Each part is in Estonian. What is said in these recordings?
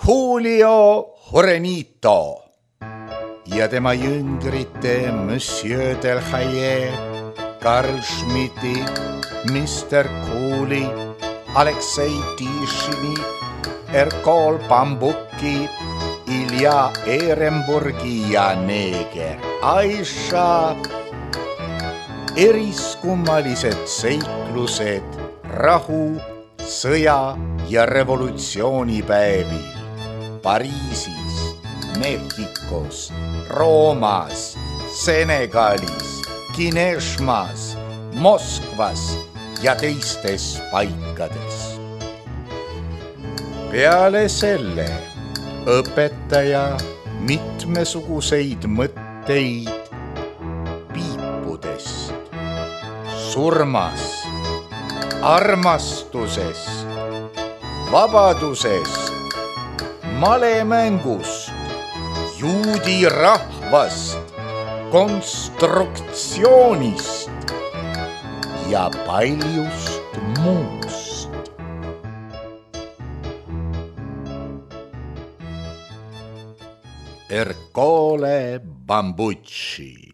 Julio Jurenito ja tema jüngrite Monsieur Delhaye, Karl Schmidti, Mr. Cooley, Aleksei Tišini, Erkol Bambuki, Ilja Ehrenburgi ja neeger Aisha. Eriskummalised seiklused rahu, sõja ja revolutsioonipäevil Pariisis, Mehhikos, Roomas, Senegalis, Kineshmas, Moskvas ja teistes paikades. Peale selle õpetaja mitmesuguseid mõtteid piipudest, surmast, armastusest, vabadusest, malemängust, juudi rahvast, konstruktsioonist ja paljust muust. Ercole Bambucci.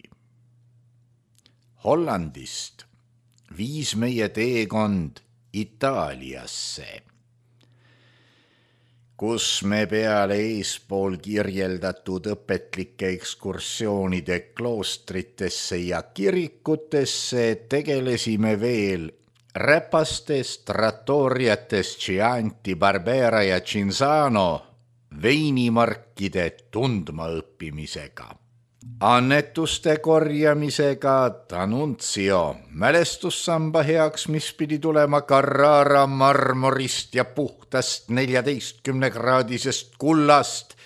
Hollandist viis meie teekond Itaaliasse, kus me peale eespool kirjeldatud õpetlike ekskursioonide kloostritesse ja kirikutesse tegelesime veel räpastest trattoriatest Chianti, Barbera ja Cinzano veinimarkide tundmaõppimisega, annetuste korjamisega D'Annunzio mälestussamba heaks, mis pidi tulema Carrara marmorist ja puhtast 14-kraadisest kullast.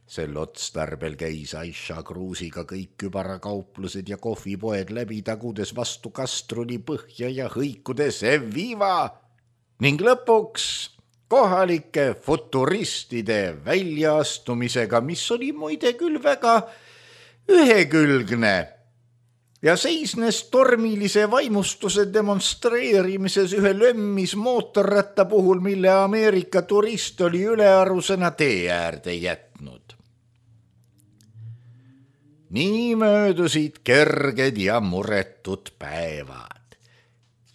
Sel otstarbel käis Aisha Kruusiga kõik kübarakauplused ja kohvipoed läbi, tagudes vastu kastruli põhja ja hõikudes Evviva ning lõpuks kohalike futuristide väljaastumisega, mis oli muide küll väga ühekülgne ja seisnes tormilise vaimustuse demonstreerimises ühe lömmis mootorratta puhul, mille Ameerika turist oli ülearusena tee äärde jätnud. Nii möödusid kerged ja muretud päevad.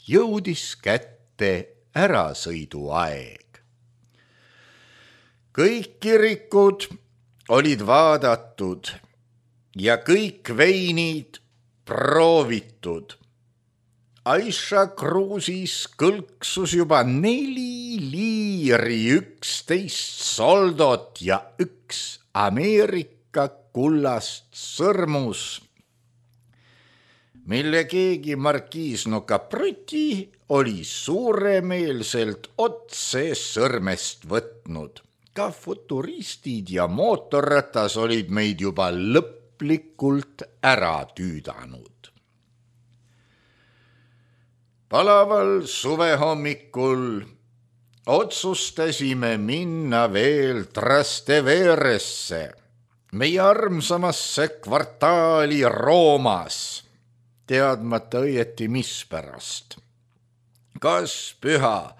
Jõudis kätte ärasõiduaeg. Kõik kirikud olid vaadatud ja kõik veinid proovitud. Aisha Kruusis kõlksus juba 4 liiri, 11 soldot ja 1 Ameerika kullast sõrmus, mille keegi markiisno Capruti oli suuremeelselt otse sõrmest võtnud. Ka futuristid ja mootorratas olid meid juba lõplikult ära tüüdanud. Palaval suvehommikul otsustasime minna veel Trasteveresse, meie armsamasse kvartaali Roomas, teadmata õieti mispärast. Kas püha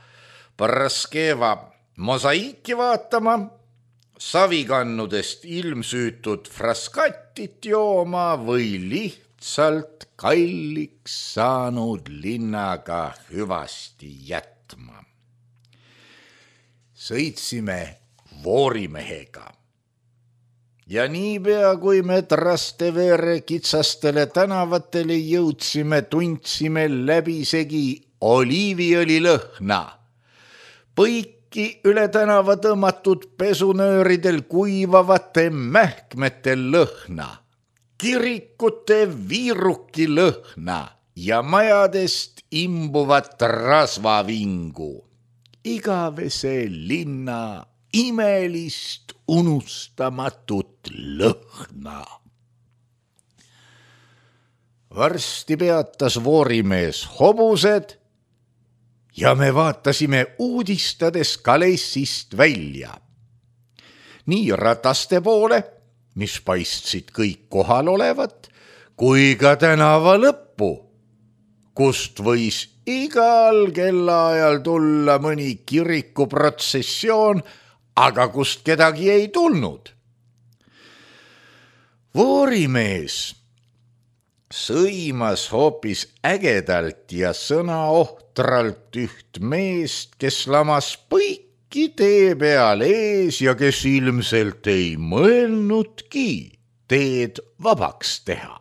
Paraskeva mosaiiki vaatama, savikannudest ilmsüütud fraskattit jooma või lihtsalt kalliks saanud linnaga hüvasti jätma. Sõitsime Voorimehega ja niipea, kui me Trastevere kitsastele tänavatele jõudsime, tundsime läbisegi oliiviõli lõhna. Põiki üle tänava tõmmatud pesunööridel kuivavate mähkmete lõhna, kirikute viiruki lõhna ja majadest imbuvat rasvavingu. Igavese linna imelist unustamatut lõhna. Varsti peatas Voorimees hobused ja me vaatasime uudistades Kalessist välja. Nii rataste poole, mis paistsid kõik kohal olevat, kui ka tänava lõppu, kust võis igal kellaajal tulla mõni kirikuprotsessioon aga kust kedagi ei tulnud. Voorimees sõimas hoopis ägedalt ja sõnaohtralt üht meest, kes lamas põiki tee peal ees ja kes ilmselt ei mõelnudki teed vabaks teha.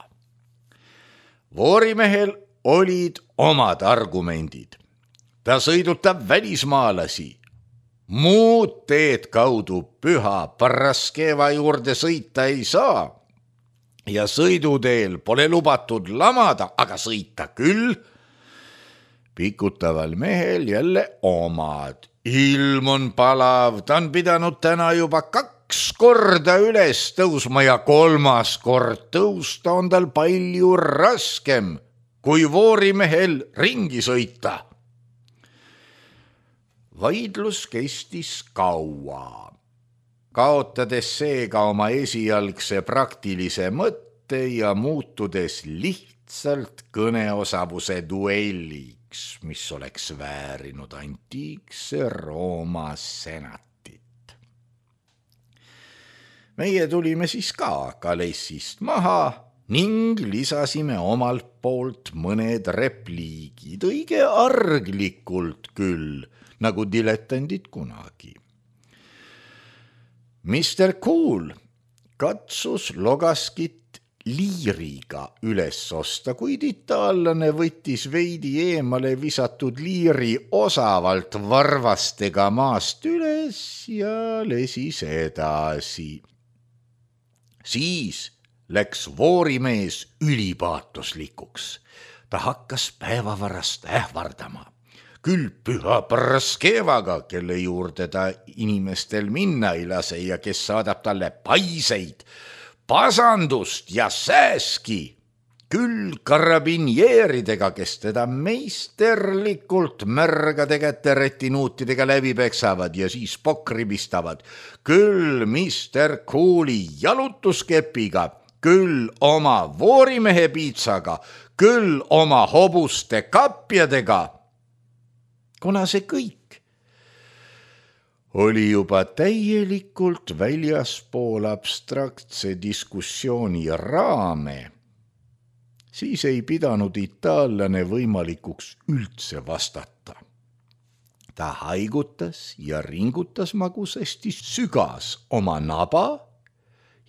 Voorimehel olid omad argumendid. Ta sõidutab välismaalasi. Muud teed kaudu Püha Paraskeva juurde sõita ei saa. Ja sõiduteel pole lubatud lamada, aga sõita küll. Pikutaval mehel jälle omad. Ilm on palav, ta on pidanud täna juba 2 korda üles tõusma ja 3. kord tõusta on tal palju raskem, kui voorimehel ringi sõita. Vaidlus kestis kaua. Kaotades seega oma esialgse praktilise mõtte ja muutudes lihtsalt kõneosavuse duelliks, mis oleks väärinud antiikse Rooma senatit. Meie tulime siis ka Kalessist maha ning lisasime omalt poolt mõned repliigid, õige arglikult küll, nagu diletandid kunagi. Mr. Cool katsus Logaskit liiriga üles osta, kuid itaallane võttis veidi eemale visatud liiri osavalt varvastega maast üles ja lesis edasi. Siis läks voorimees ülipaatoslikuks. Ta hakkas päevavarast ähvardama. Küll Püha Paraskevaga, kelle juurde ta inimestel minna ei lase ja kes saadab talle paiseid, pasandust ja sääski. Küll karabinjeeridega, kes teda meisterlikult märgade käte retinuutidega läbi peksavad ja siis pokri pistavad. Küll Mr. Cooli jalutuskepiga, küll oma voorimehe piitsaga, küll oma hobuste kapjadega. Kuna see kõik oli juba täielikult väljaspool abstraktse diskussiooni raame, siis ei pidanud itaallane võimalikuks üldse vastata. Ta haigutas ja ringutas magusasti, sügas oma naba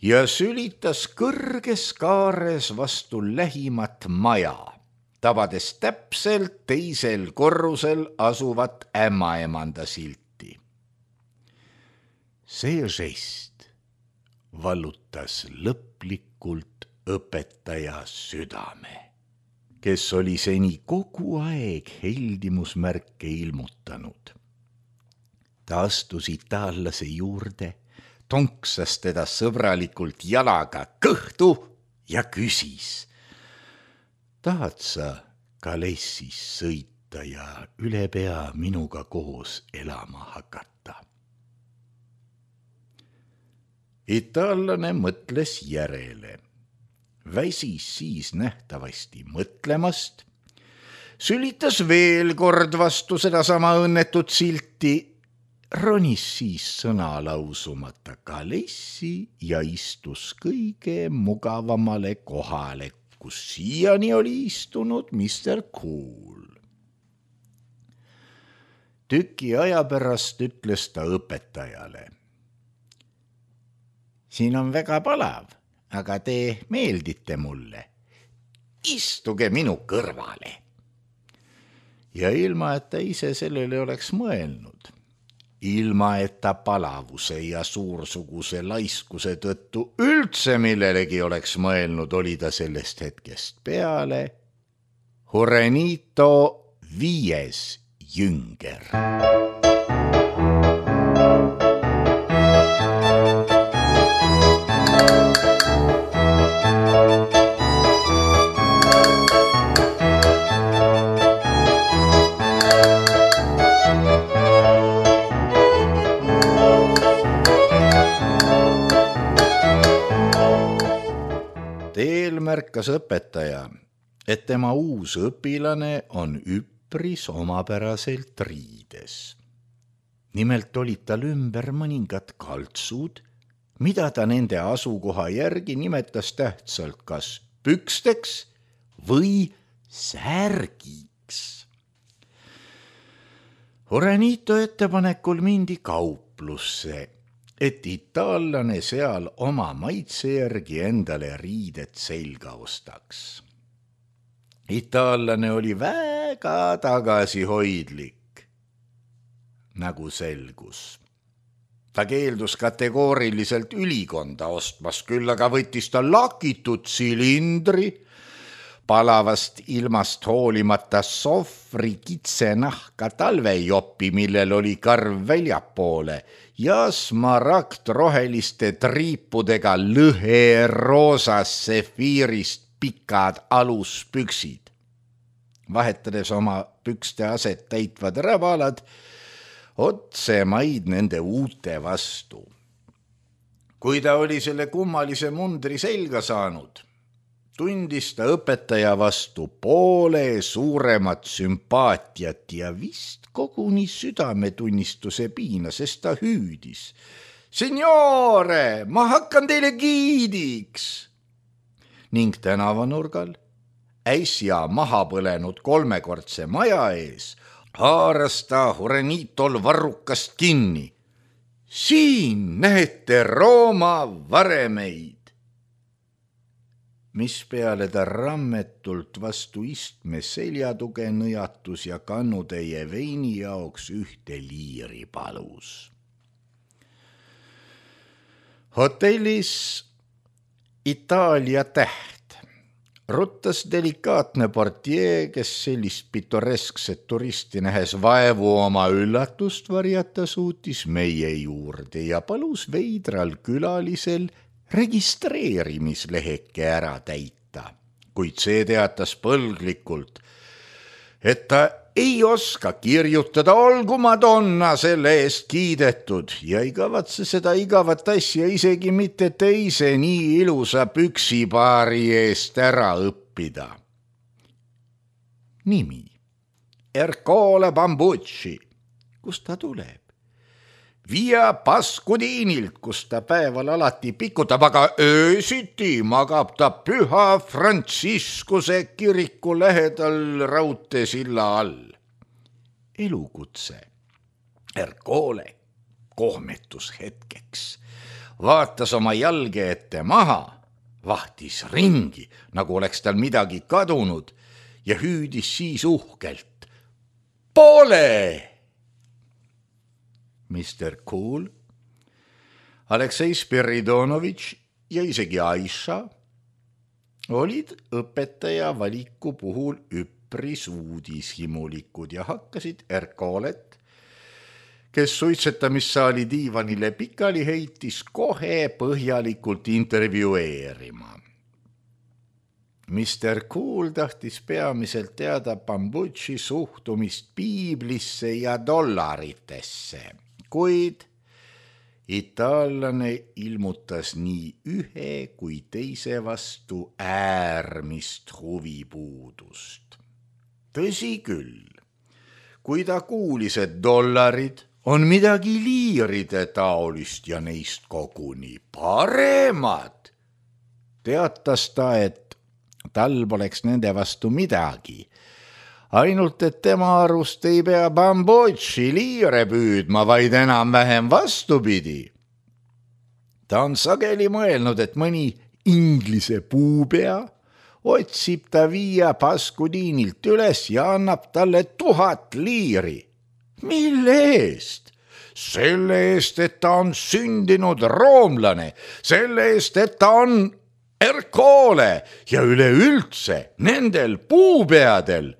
ja sülitas kõrges kaares vastu lähimat maja, tabades täpselt teisel korrusel asuvat ämmaemanda silti. See žest vallutas lõplikult õpetaja südame, kes oli seni kogu aeg heldimusmärke ilmutanud. Ta astus itaallase juurde, tonksas teda sõbralikult jalaga kõhtu ja küsis: tahad sa Kalessis sõita ja üle pea minuga koos elama hakata? Itaallane mõtles järele. Väsis siis nähtavasti mõtlemast, sülitas veel kord vastu sedasama õnnetut silti, ronis siis sõna lausumata Kalessi ja istus kõige mugavamale kohale, kus siiani oli istunud Mr. Cool. Tüki aja pärast ütles ta õpetajale: siin on väga palav, aga te meeldite mulle. Istuge minu kõrvale. Ja ilma, et ta ise sellele oleks mõelnud, ilma, et ta palavuse ja suursuguse laiskuse tõttu üldse millelegi oleks mõelnud, oli ta sellest hetkest peale Jurenito 5. jünger. Teel märkas õpetaja, et tema uus õpilane on üpris omapäraselt riides. Nimelt olid tal ümber mõningad kaltsud, mida ta nende asukoha järgi nimetas tähtsalt kas püksteks või särgiks. Juranito ettepanekul mindi kauplusse, et itaallane seal oma maitse järgi endale riided selga ostaks. Itaallane oli väga tagasihoidlik, nagu selgus. Ta keeldus kategooriliselt ülikonda ostmas, küll aga võttis ta lakitud silindri, palavast ilmast hoolimata sohvri kitsenahka talvejopi, millel oli karv väljapoole ja smaragd roheliste triipudega lõhe roosas sefiirist pikad aluspüksid. Vahetades oma pükste aset täitvad räbalad, otsemaid nende uute vastu. Kui ta oli selle kummalise mundri selga saanud, tundis ta õpetaja vastu poole suuremat sümpaatiat ja vist koguni südametunnistuse piina, sest ta hüüdis. Signore, ma hakkan teile giidiks! Ning tänavanurgal, äsja maha põlenud 3-kordse maja ees, haaras ta Juranitol varrukast kinni. Siin näete Rooma varemeid. Mispeale ta rammetult vastu istme seljatuge nõjatus ja kannutäie veini jaoks 1 liiri palus. Hotellis Itaalia täht ruttas delikaatne portier, kes sellist pitoreskset turisti nähes vaevu oma üllatust varjata suutis meie juurde ja palus veidral külalisel registreerimisleheke ära täita, kuid see teatas põlglikult, et ta ei oska kirjutada, olgu Madonna selle eest kiidetud ja ei kavatse seda igavat asja isegi mitte teise nii ilusa püksipaari eest ära õppida. Nimi Ercole Bambucci, kust ta tuleb? Via Pascudinilt, kus ta päeval alati pikutab, aga öösiti magab ta Püha Frantsiskuse kiriku lähedal raudteesilla all. Elukutse Ercole kohmetus hetkeks, vaatas oma jalge ette maha, vahtis ringi, nagu oleks tal midagi kadunud ja hüüdis siis uhkelt. Pole! Mr. Cool, Aleksei Spiridonovitš ja isegi Aisha olid õpetaja valiku puhul üpris uudishimulikud ja hakkasid Ercolet, kes suitsetamissaali diivanile pikali heitis, kohe põhjalikult intervjueerima. Mr. Cool tahtis peamiselt teada Bambucci suhtumist piiblisse ja dollaritesse, kuid itaallane ilmutas nii ühe kui teise vastu äärmist huvipuudust. Tõsi küll, kui ta kuulis, et dollarid on midagi liiride taolist ja neist koguni paremad, teatas ta, et tal poleks nende vastu midagi, ainult et tema arust ei pea Bambucci liire püüdma, vaid enam-vähem vastupidi. Ta on sageli mõelnud, et mõni inglise puupea otsib ta Via Pascudinilt üles ja annab talle 1000 liiri. Mille eest? Selle eest, et ta on sündinud roomlane, selle eest, et ta on Ercole ja üleüldse nendel puupeadel,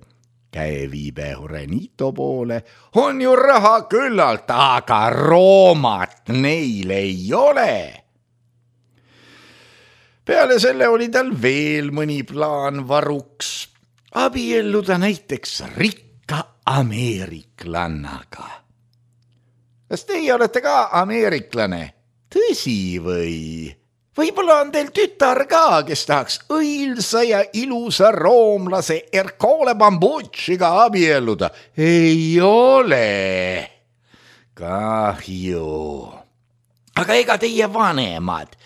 käeviibe Juranito poole, on ju raha küllalt, aga Roomat neil ei ole. Peale selle oli tal veel mõni plaan varuks, abielluda näiteks rikka ameeriklannaga. Kas teie olete ka ameeriklane? Tõsi või? Võib-olla on teil tütar ka, kes tahaks õilsa ja ilusa roomlase Ercole Bambucciga abielluda. Ei ole. kahju. Aga ega teie vanemad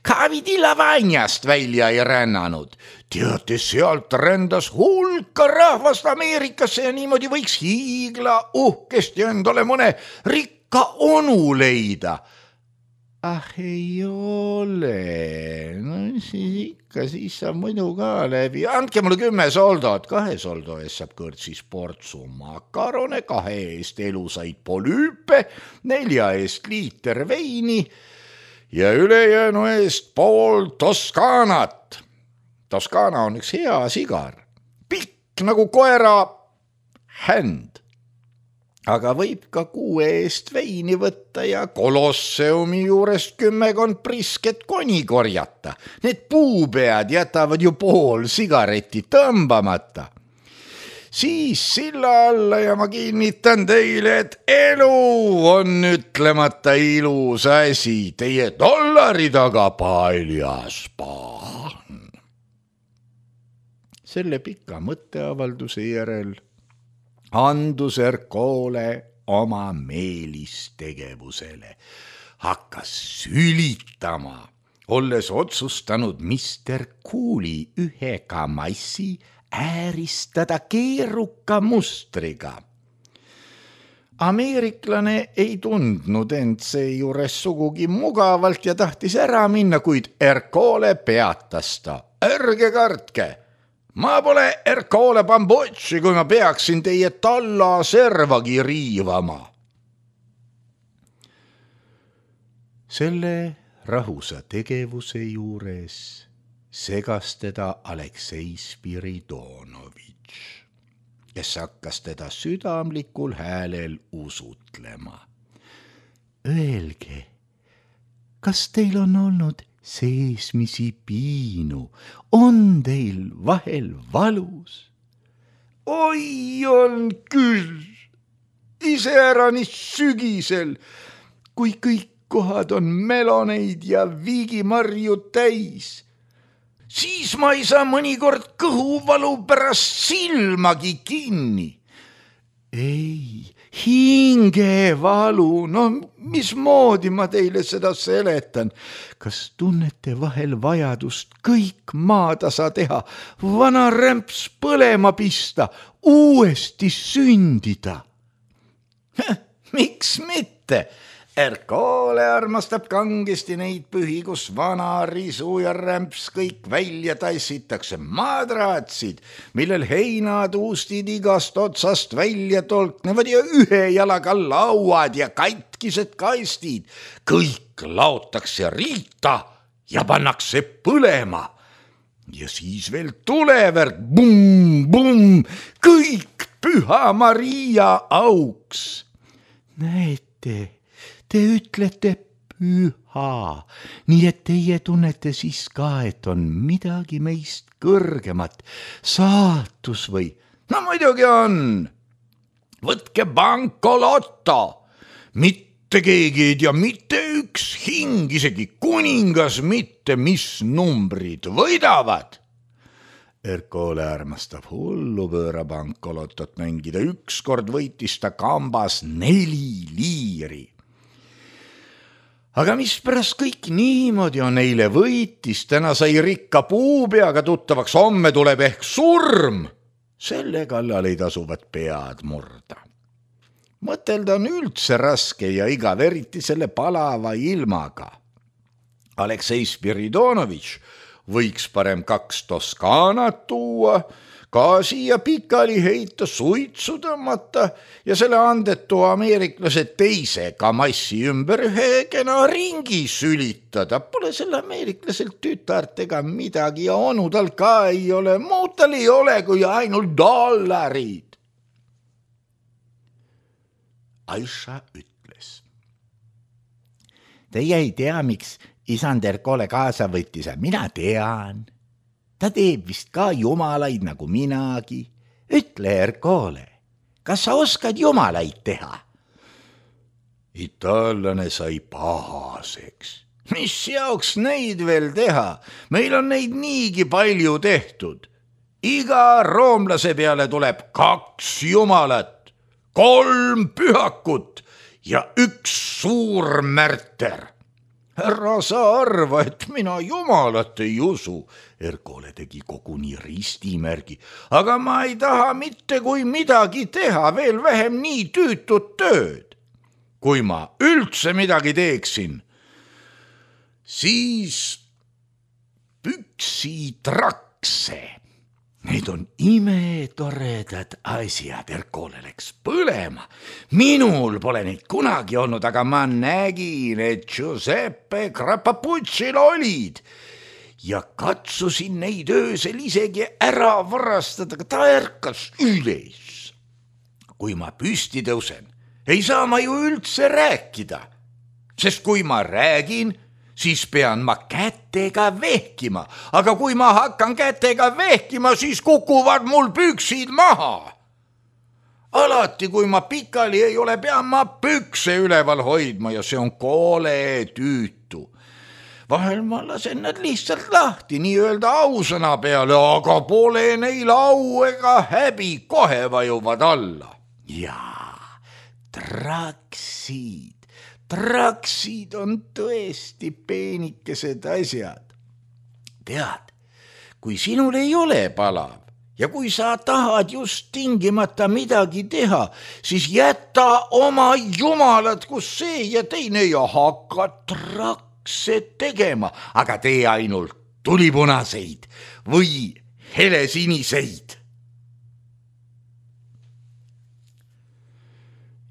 ka Vidila-Vanjast välja ei rännanud. Teate, sealt rändas hulka rahvast Ameerikasse ja niimoodi võiks hiigla uhkesti endale mõne rikka onu leida. Ah, ei ole. No siis ikka, siis saab muidu ka läbi. Andke mulle 10 soldot. 2 soldo eest saab kõrtsis portsu makarone, 2 eest elusaid polüüpe, 4 eest liiter veini ja ülejäänu eest pool Toskanat. Toskana on üks hea sigar. Pikk nagu koera händ. Aga võib ka 6 eest veini võtta ja Kolosseumi juurest 10 prisket koni korjata. Need puupead jätavad ju pool sigareti tõmbamata. Siis silla alla ja ma kinnitan teile, et elu on ütlemata ilus asi. Teie dollari taga paljas paan. Selle pika mõtteavalduse järel andus Ercole oma meelistegevusele. Hakkas sülitama, olles otsustanud Mr. Cool'i ühe kamassi ääristada keeruka mustriga. Ameeriklane ei tundnud end seejuures sugugi mugavalt ja tahtis ära minna, kuid Ercole peatas ta. Ärge kartke! Ma pole Ercole Bambocci, kui ma peaksin teie talla servagi riivama. Selle rahusa tegevuse juures segas teda Aleksei Spiridonovitš, kes hakkas teda südamlikul häälel usutlema. Öelge, kas teil on olnud seesmisi piinu, on teil vahel valus? Oi, on küll, iseäranis sügisel, kui kõik kohad on meloneid ja viigimarju täis. Siis ma ei saa mõnikord kõhuvalu pärast silmagi kinni. Ei, hingevalu, no mismoodi ma teile seda seletan? Kas tunnete vahel vajadust kõik maatasa teha, vana rämps põlema pista, uuesti sündida? Miks mitte? Ercole armastab kangesti neid pühi, kus vana risu ja rämps kõik välja tassitakse. Madratsid, millel heinatuustid igast otsast välja tolknevad ja ühe jalaga lauad ja katkised kastid. Kõik laotakse riita ja pannakse põlema. Ja siis veel tulevärk, bum, bum, kõik Püha Maria auks. Näete, te ütlete püha, nii et teie tunnete siis ka, et on midagi meist kõrgemat, saatus või? No muidugi on. Võtke bankolotto. Mitte keegi ei tea, mitte üks hing, isegi kuningas mitte, mis numbrid võidavad. Ercole armastab hullupööra bankolotot mängida. Ükskord võitis ta kambas 4 liiri. Aga mispärast kõik niimoodi on? Eile võitis, täna sai rikka puupeaga tuttavaks, homme tuleb ehk surm. Selle kallal ei tasuvat pead murda. Mõtelda on üldse raske ja igav, eriti selle palava ilmaga. Aleksei Spiridonovitš võiks parem 2 Toskanat tuua, gaasi ja pikali heita, suitsu tõmmata ja selle andetu ameeriklase teise kamassi ümber ühe kena ringi sülitada. Pole selle ameeriklaselt tütart ega midagi ja onu tal ka ei ole, muud tal ei ole kui ainult dollarid. Aisha ütles. Teie ei tea, miks isand Ercole kaasa võttis, mina tean. Ta teeb vist ka jumalaid nagu minagi. Ütle, Ercole, kas sa oskad jumalaid teha? Itaallane sai pahaseks. Mis jaoks neid veel teha? Meil on neid niigi palju tehtud. Iga roomlase peale tuleb 2 jumalat, 3 pühakut ja üks suur märter. Ära sa arva, et mina jumalat ei usu. Erkole tegi koguni ristimärgi, aga ma ei taha mitte kui midagi teha, veel vähem nii tüütut tööd. Kui ma üldse midagi teeksin, siis püksitrakse. Need on imetoredad asjad. Erkole läks põlema. Minul pole neid kunagi olnud, aga ma nägin, et Giuseppe Crappapuccil olid ja katsusin neid öösel isegi ära varastada, aga ta ärkas üles. Kui ma püsti tõusen, ei saa ma ju üldse rääkida, sest kui ma räägin, siis pean ma kätega vehkima, aga kui ma hakkan kätega vehkima, siis kukuvad mul püksid maha. Alati, kui ma pikali ei ole, pean ma pükse üleval hoidma ja see on kole tüütu. Vahel ma lasen nad lihtsalt lahti, nii-öelda ausõna peale, aga pole neil au ega häbi, kohe vajuvad alla. Jaa, Traksid on tõesti peenikesed asjad. Tead, kui sinul ei ole palav ja kui sa tahad just tingimata midagi teha, siis jäta oma jumalad, kus see ja teine ja hakka trakse tegema, aga tee ainult tulipunaseid või helesiniseid.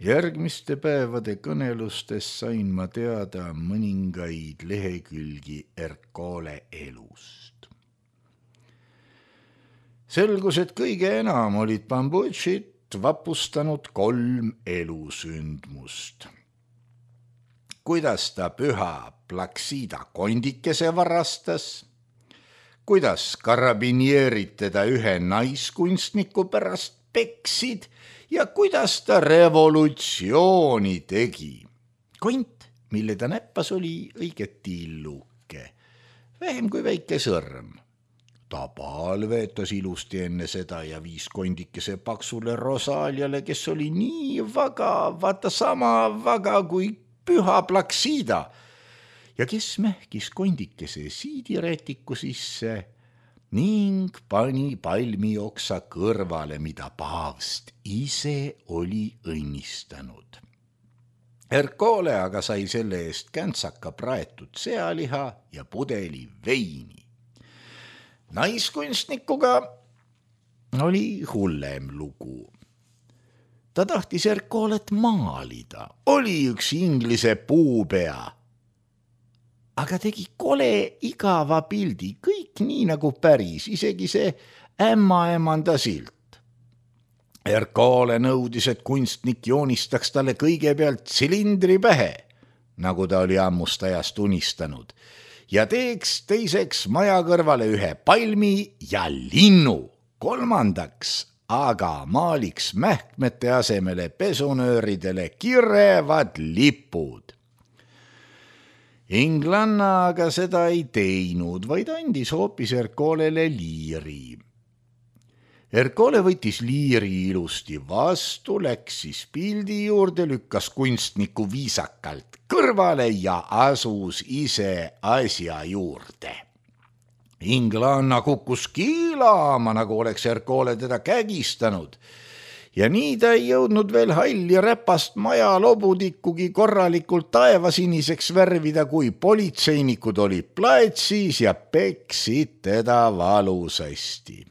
Järgmiste päevade kõnelustes sain ma teada mõningaid lehekülgi Erkole elust. Selgus, et kõige enam olid Pambucit vapustanud 3 elusündmust. Kuidas ta püha Plaksida kondikese varastas, kuidas karabinierid teda ühe naiskunstniku pärast peksid ja kuidas ta revolutsiooni tegi. Kont, mille ta näppas, oli õiget tilluke, vähem kui väike sõrm. Ta palvetas ilusti enne seda ja viis kondikese paksule Rosaliale, kes oli nii vaga, vaata sama vaga kui püha Plaksida ja kes mähkis kondikese siidirätiku sisse ning pani palmioksa kõrvale, mida paavst ise oli õnnistanud. Erkole aga sai selle eest käntsaka praetud sealiha ja pudeli veini. Naiskunstnikuga oli hullem lugu. Ta tahtis Erkolet maalida, oli üks inglise puupea, aga tegi kole igava pildi, kõik nii nagu päris, isegi see ämmaemanda silt. Erkole nõudis, et kunstnik joonistaks talle kõigepealt tsilindri pähe, nagu ta oli ammust ajast unistanud, ja teeks teiseks maja kõrvale ühe palmi ja linnu, kolmandaks aga maaliks mähkmete asemele pesunööridele kirevad lipud. Inglanna aga seda ei teinud, vaid andis hoopis Erkolele liiri. Erkole võttis liiri ilusti vastu, läks siis pildi juurde, lükkas kunstniku viisakalt kõrvale ja asus ise asja juurde. Inglanna kukkus kiilama, nagu oleks Erkole teda kägistanud. Ja nii ta ei jõudnud veel halli räpast maja lobudikugi korralikult taevasiniseks värvida, kui politseinikud olid platsis ja peksid teda valusasti.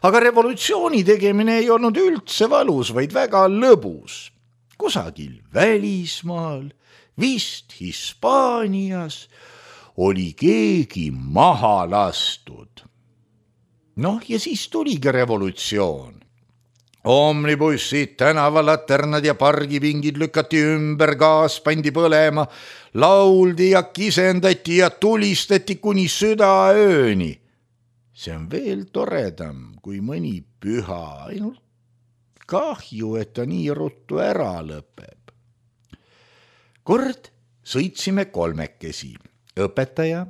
Aga revolutsiooni tegemine ei olnud üldse valus, vaid väga lõbus. Kusagil välismaal, vist Hispaanias, oli keegi maha lastud. Noh, ja siis tuligi revolutsioon. Omnibussid, tänavallaternad ja pargipingid lükati ümber, gaas pandi põlema, lauldi ja kisendati ja tulistati kuni südaööni. See on veel toredam kui mõni püha, ainult kahju, et ta nii ruttu ära lõpeb. Kord sõitsime kolmekesi, õpetaja,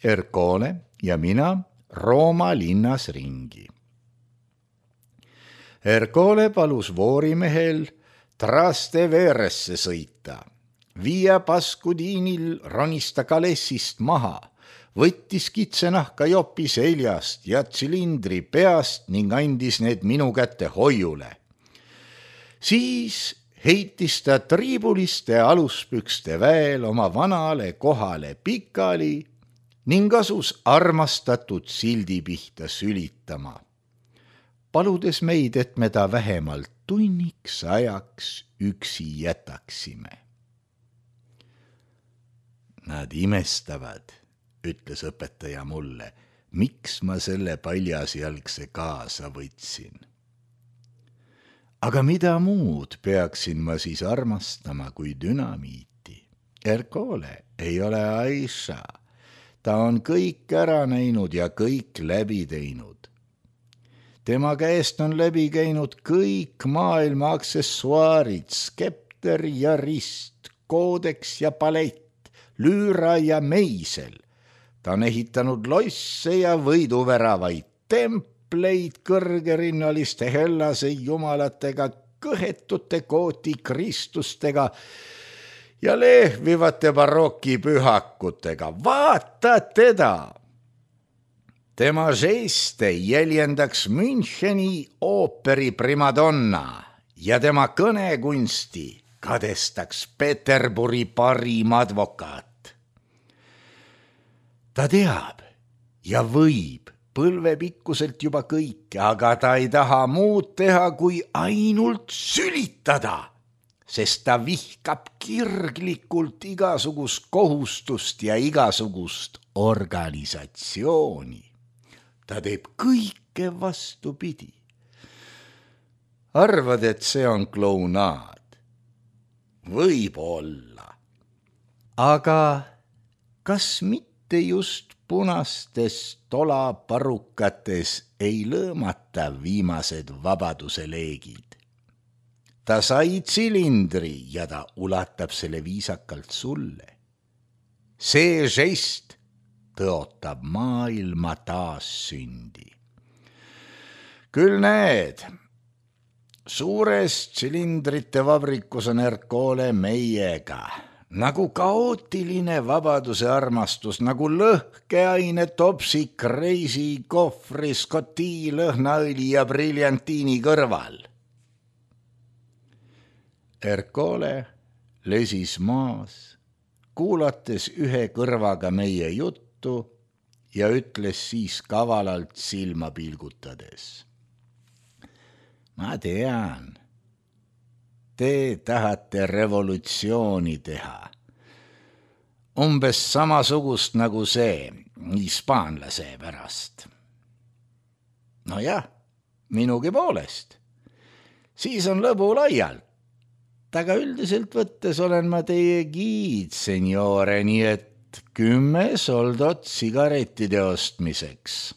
Erkole ja mina Rooma linnas ringi. Erkole palus voorimehel Trasteveresse sõita. Via Pascudiinil ronis ta kalessist maha, võttis kitsenahka jopi seljast ja tsilindri peast ning andis need minu kätte hoiule. Siis heitis ta triibuliste aluspükste väel oma vanale kohale pikali ning asus armastatud sildi pihta sülitama, paludes meid, et me ta vähemalt tunniks ajaks üksi jätaksime. Nad imestavad, ütles õpetaja mulle, miks ma selle paljasjalgse kaasa võtsin. Aga mida muud peaksin ma siis armastama kui dünamiiti? Ercole ei ole Aisha. Ta on kõik ära näinud ja kõik läbi teinud. Tema käest on läbi käinud kõik maailma aksessuaarid, skepter ja rist, koodeks ja palett, lüüra ja meisel. Ta on ehitanud losse ja võiduväravaid, templeid kõrgerinnaliste Hellase jumalatega, kõhetute kooti kristustega ja lehvivate barokipühakutega. Vaata teda! Tema žeste jäljendaks Müncheni ooperi primadonna ja tema kõnekunsti kadestaks Peterburi parim advokaat. Ta teab ja võib põlvepikkuselt juba kõike, aga ta ei taha muud teha, kui ainult sülitada, sest ta vihkab kirglikult igasugust kohustust ja igasugust organisatsiooni. Ta teeb kõike vastupidi. Arvad, et see on klounaad? Võib-olla. Aga kas mitte just punastes tolaparukates ei lõõmata viimased vabaduse leegid? Ta sai tsilindri ja ta ulatab selle viisakalt sulle. See žest tõotab maailma taassündi. Küll näed, suures tsilindrite vabrikus on Ercole meiega, nagu kaootiline vabaduse armastus, nagu lõhkeaine topsik reisi kohvri Scotti lõhnaõli ja briljantiini kõrval. Ercole lesis maas, kuulates ühe kõrvaga meie juttu ja ütles siis kavalalt silma pilgutades. Ma tean, te tahate revolutsiooni teha. Umbes samasugust nagu see hispaanlase pärast. No jah, minugi poolest. Siis on lõbu laialt. Aga üldiselt võttes olen ma teie giid, seniore, nii et 10 soldot sigarettide ostmiseks.